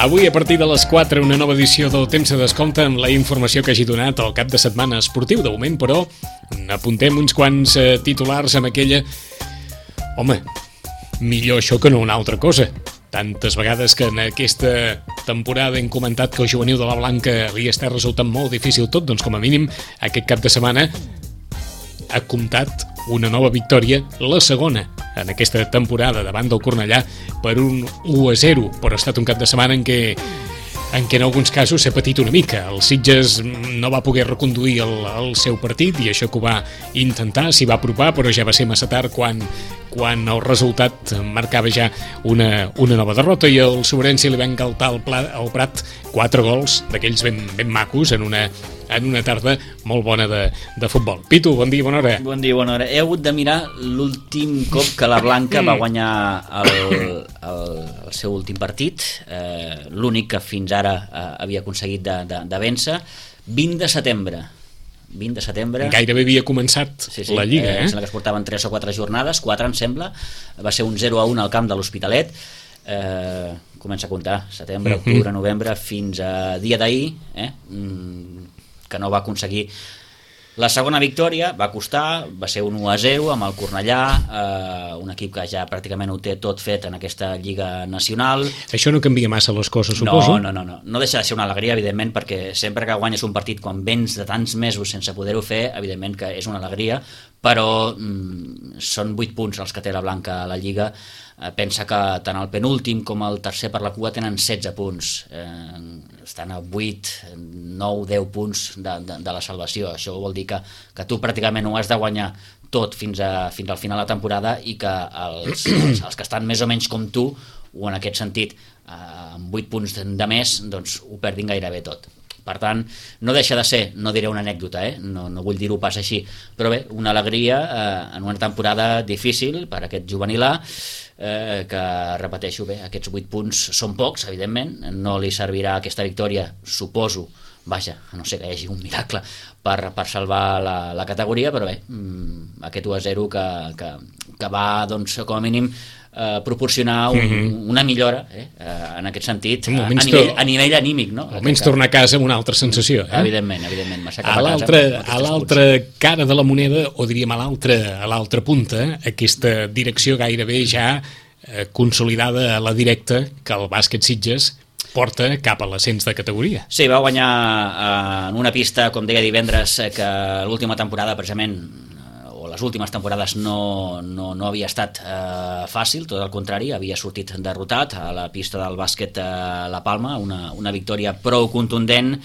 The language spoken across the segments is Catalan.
Avui, a partir de les 4, una nova edició del Temps de Descompte amb la informació que hagi donat el cap de setmana esportiu. De moment, però, apuntem uns quants titulars amb aquella... Home, millor això que no una altra cosa. Tantes vegades que en aquesta temporada hem comentat que el juvenil de la Blanca li està resultant molt difícil tot, doncs com a mínim aquest cap de setmana ha comptat una nova victòria, la segona en aquesta temporada davant del Cornellà per un 1-0, però ha estat un cap de setmana en què en alguns casos s'ha patit una mica. El Sitges no va poder reconduir el seu partit i això que ho va intentar, s'hi va apropar, però ja va ser massa tard quan el resultat marcava ja una nova derrota i el Sobrense li va engaltar al Prat 4 gols d'aquells ben macos en una tarda molt bona de futbol. Pitu, bon dia, bona hora. Bon dia, bona hora. He hagut de mirar l'últim cop que la Blanca va guanyar el seu últim partit, l'únic que fins ara havia aconseguit de vèncer, 20 de setembre. Gairebé havia començat la Lliga, Em sembla que es portaven 3 o 4 jornades, 4 em sembla, va ser un 0-1 al camp de l'Hospitalet. Comença a comptar, setembre, octubre, novembre, fins a dia d'ahir, que no va aconseguir la segona victòria. Va costar, va ser un 1-0 amb el Cornellà, un equip que ja pràcticament ho té tot fet en aquesta Lliga Nacional. Això no canvia massa les coses, suposo? No deixa de ser una alegria, evidentment, perquè sempre que guanyes un partit quan vens de tants mesos sense poder-ho fer, evidentment que és una alegria, però són 8 punts els que té la Blanca a la Lliga. Pensa que tant el penúltim com el tercer per la cua tenen 16 punts, estan a 8, 9, 10 punts de la salvació. Això vol dir que tu pràcticament ho has de guanyar tot fins al final de la temporada i que els que estan més o menys com tu, o en aquest sentit amb 8 punts de més, doncs ho perdin gairebé tot. Per tant, no deixa de ser, no diré una anècdota, no vull dir-ho pas així, però bé, una alegria en una temporada difícil per aquest juvenil A, que, repeteixo, bé, aquests 8 punts són pocs, evidentment, no li servirà aquesta victòria, suposo, vaja, a no ser que hi hagi un miracle per salvar la categoria, però bé, aquest 1-0 que va, doncs, com a mínim, proporcionar una millora en aquest sentit, a nivell anímic, no? Almenys tornar a casa amb una altra sensació. Evidentment, a l'altra cara de la moneda, o diríem a l'altra punta, aquesta direcció gairebé ja consolidada a la directa que el bàsquet Sitges porta cap a l'ascens de categoria. Sí, va guanyar en una pista, com deia divendres, que l'última temporada precisament, o les últimes temporades, no havia estat fàcil, tot el contrari, havia sortit derrotat a la pista del bàsquet La Palma, una victòria prou contundent.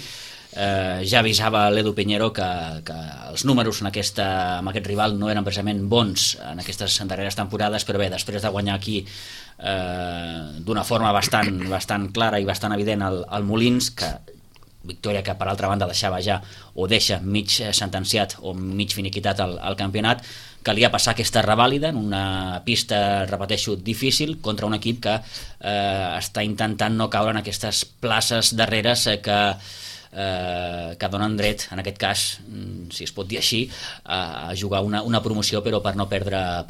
Ja avisava l'Edu Piñero que els números amb aquest rival no eren precisament bons en aquestes darreres temporades, però bé, després de guanyar aquí d'una forma bastant clara i bastant evident al Molins, victòria que per altra banda deixava ja, o deixa mig sentenciat o mig finiquitat al campionat, calia passar aquesta revàlida en una pista, repeteixo, difícil contra un equip que està intentant no caure en aquestes places darreres que donen dret, en aquest cas, si es pot dir així, a jugar una promoció, però per no perdre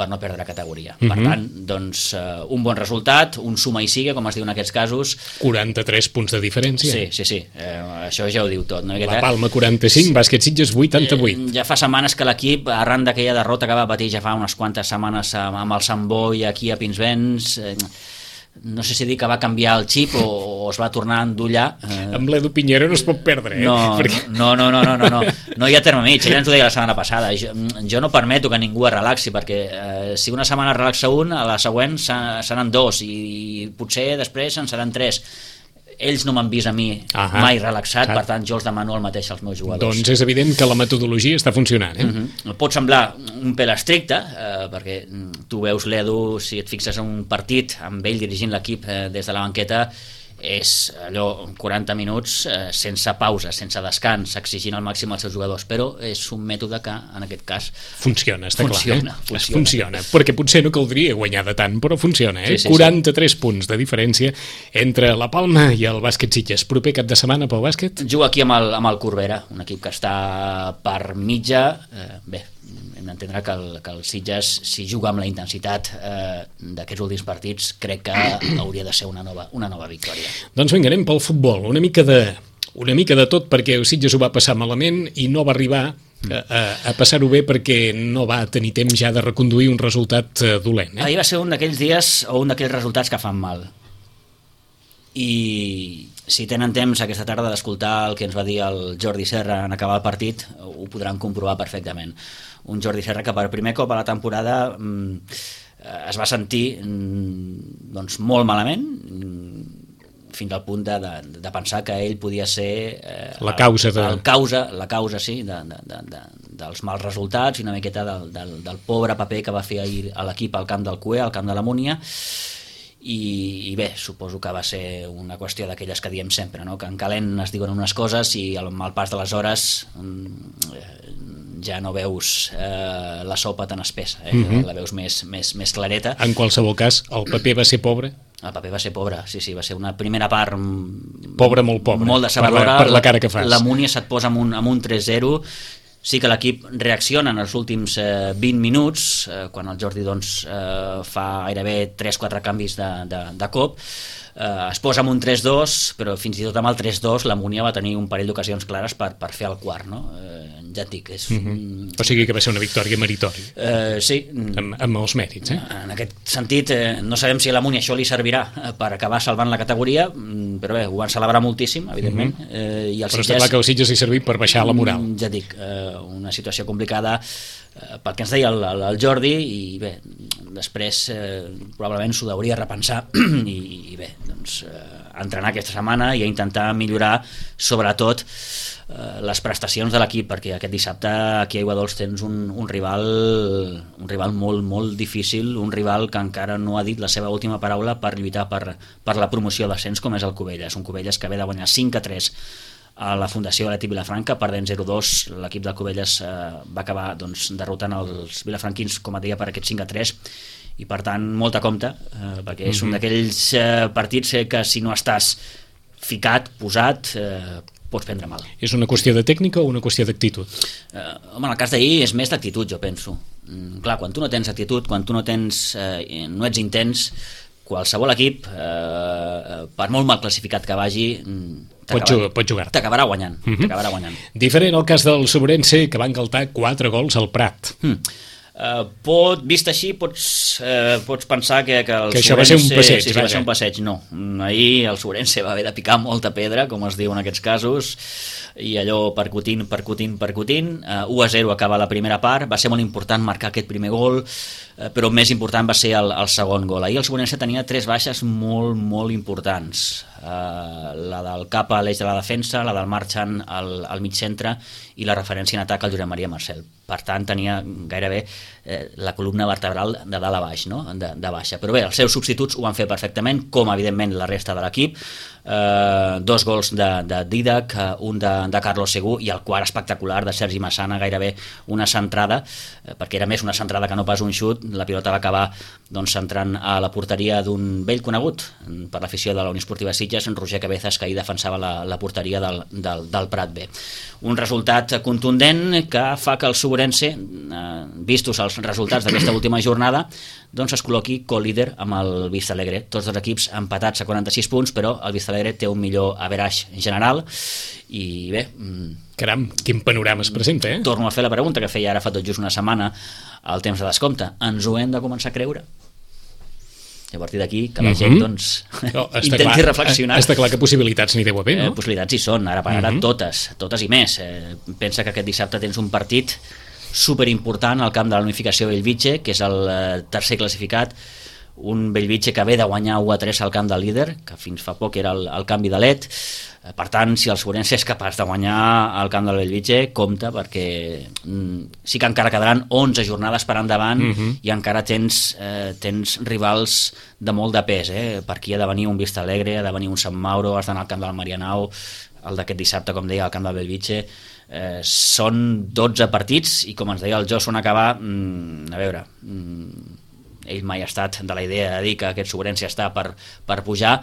categoria. Per tant, doncs, un bon resultat, un suma i sigue, com es diu en aquests casos. 43 punts de diferència. Sí, això ja ho diu tot, no? La Palma 45, Bàsquet Sitges 88. Ja fa setmanes que l'equip, arran d'aquella derrota que va patir ja fa unes quantes setmanes amb el Sant Boi aquí a Pinsbens, no sé si dir que va canviar el xip o es va tornar a endollar. Amb l'Edu Piñero no es pot perdre, No hi ha terme mig. Ella ens ho deia la setmana passada. Jo no permeto que ningú es relaxi, perquè si una setmana es relaxa un, a la següent seran 2 i potser després en seran 3. Ells no m'han vist a mi mai relaxat, per tant jo els demano el mateix als meus jugadors. Doncs és evident que la metodologia està funcionant. Pot semblar un pèl estricte, perquè tu veus l'Edu, si et fixes en un partit amb ell dirigint l'equip des de la banqueta, és allò 40 minuts sense pausa, sense descans, exigint al màxim als seus jugadors, però és un mètode que en aquest cas funciona, està clar. Funciona, perquè potser no caldria guanyar de tant, però funciona. 43 punts de diferència entre la Palma i el Bàsquet Sitges. Proper cap de setmana pel bàsquet? Juga aquí amb el Corbera, un equip que està per mitja, bé, hem d'entendre que el Sitges, si juga amb la intensitat d'aquests últims partits, crec que hauria de ser una nova victòria. Doncs vinga, anem pel futbol. Una mica de tot, perquè el Sitges ho va passar malament i no va arribar a passar-ho bé perquè no va tenir temps ja de reconduir un resultat dolent. Ahir va ser un d'aquells dies o un d'aquells resultats que fan mal. I si tenen temps aquesta tarda d'escoltar el que ens va dir el Jordi Serra en acabar el partit, ho podran comprovar perfectament. Un Jordi Serra que per primer cop a la temporada es va sentir doncs, molt malament, fins al punt de pensar que ell podia ser la causa sí, dels mals resultats i una miqueta del pobre paper que va fer ahir a l'equip al camp del CUE, al camp de la Múnia. I bé, suposo que va ser una qüestió d'aquelles que diem sempre, no? Que en calent es diuen unes coses i amb el pas de les hores ja no veus la sopa tan espessa, la veus més clareta. En qualsevol cas, el paper va ser pobre? El paper va ser pobre, sí, va ser una primera part pobre, molt pobre, molt decebedora. Per la cara que fas. La Múnia se't posa amb un 3-0. Sí que l'equip reacciona en els últims 20 minuts, quan el Jordi doncs, fa gairebé 3-4 canvis de cop. Es posa amb un 3-2, però fins i tot amb el 3-2 la Múnia va tenir un parell d'ocasions clares per fer el quart, no? Ja et dic, és... O sigui que va ser una victòria meritòria. Sí. Amb els mèrits, En aquest sentit, no sabem si a la Múnia això li servirà per acabar salvant la categoria, però bé, ho van celebrar moltíssim, evidentment. I el però està clar que el Sitges li servit per baixar la moral. Ja et dic, una situació complicada pel que ens deia el Jordi, i bé, després probablement s'ho hauria de repensar i bé, doncs entrenar aquesta setmana i a intentar millorar sobretot les prestacions de l'equip, perquè aquest dissabte aquí a Aiguadols tens un rival molt, molt difícil, un rival que encara no ha dit la seva última paraula per lluitar per la promoció d'ascens, com és el Cubelles, un Cubelles que ve de guanyar 5-3 a la Fundació Atlètic Vilafranca, perdent 0-2. L'equip del Cubelles va acabar doncs, derrotant els vilafranquins, com et deia, per aquest 5-3, i per tant molta compte, perquè és un d'aquells partits que si no estàs ficat, posat, pots prendre mal. És una qüestió de tècnica o una qüestió d'actitud? Home, en el cas d'ahir és més d'actitud, jo penso. Clar, quan tu no tens actitud, quan tu no ets intens, qualsevol equip, per molt mal classificat que vagi, pot jugar. T'acabarà guanyant. Diferent el cas del Sobrense, que va engaltar 4 gols al Prat. Vist així pots pensar que això va ser un passeig. Va ser un passeig. No, ahir el Sobrense va haver de picar molta pedra, com es diu en aquests casos, i allò percutint. 1-0 acaba la primera part. Va ser molt important marcar aquest primer gol, però més important va ser el segon gol. Ahir el Sobrense tenia 3 baixes molt, molt importants. La del cap a l'eix de la defensa, la del Marchant al mig centre i la referència en atac al Josep Maria Marcel. Per tant, tenia gairebé la columna vertebral de dalt a baix, no? de baixa. Però bé, els seus substituts ho van fer perfectament, com evidentment la resta de l'equip. 2 gols de Didac, un de Carlos Segú i el quart espectacular de Sergi Massana, gairebé una centrada, perquè era més una centrada que no pas un xut. La pilota va acabar doncs, centrant a la porteria d'un vell conegut per l'afició de la Unió Esportiva Sitges, en Roger Cabezas, que ahir defensava la porteria del Prat B. Un resultat contundent que fa que el Sobrense, vistos els resultats d'aquesta última jornada, doncs es col·loqui co-líder amb el Vistalegre. Tots els equips empatats a 46 punts, però el Vistalegre té un millor average general i bé... Caram, quin panorama es presenta, Torno a fer la pregunta que feia ara fa tot just una setmana al temps de descompte. Ens ho hem de començar a creure? I a partir d'aquí que la gent doncs, intenti reflexionar. Està clar que possibilitats n'hi deu haver, no? Possibilitats hi són, ara per ara totes i més. Pensa que aquest dissabte tens un partit superimportant al camp de la Unificació Bellvitge, que és el tercer classificat, un Bellvitge que ve de guanyar 1-3 al camp del líder, que fins fa poc era el canvi de led. Per tant, si el Sobrense és capaç de guanyar al camp del Bellvitge, compte, perquè sí que encara quedaran 11 jornades per endavant i encara tens rivals de molt de pes. Per aquí ha de venir un Vistalegre, ha de venir un Sant Mauro, has d'anar al camp del Marianao, el d'aquest dissabte, com deia, al camp del Bellvitge. Són 12 partits i, com ens deia el Joson acabar, a veure, ell mai ha estat de la idea de dir que aquest Sobrense està per pujar,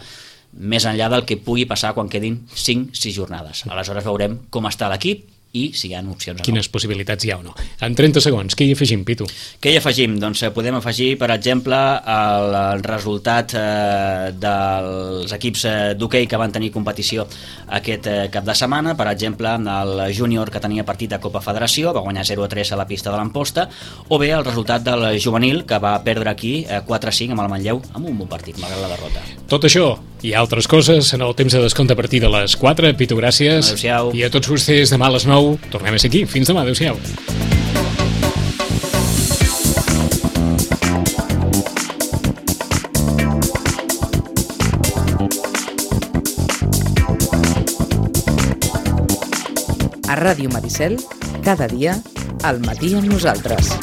més enllà del que pugui passar quan quedin 5-6 jornades. Aleshores veurem com està l'equip i si hi ha opcions o no. Quines possibilitats hi ha o no. En 30 segons, què hi afegim, Pitu? Què hi afegim? Doncs podem afegir, per exemple, el resultat dels equips d'hoquei que van tenir competició aquest cap de setmana. Per exemple, el júnior que tenia partit de Copa Federació va guanyar 0-3 a la pista de l'Amposta, o bé el resultat del juvenil que va perdre aquí 4-5 amb el Manlleu amb un bon partit, malgrat la derrota. Tot això i altres coses en el temps de descompte a partir de les 4. Pitu, gràcies. Adéu-siau. I a tots vostès, demà a les 9 tornem a ser aquí. Fins demà, adéu-siau. A Ràdio Maricel, cada dia, al matí amb nosaltres.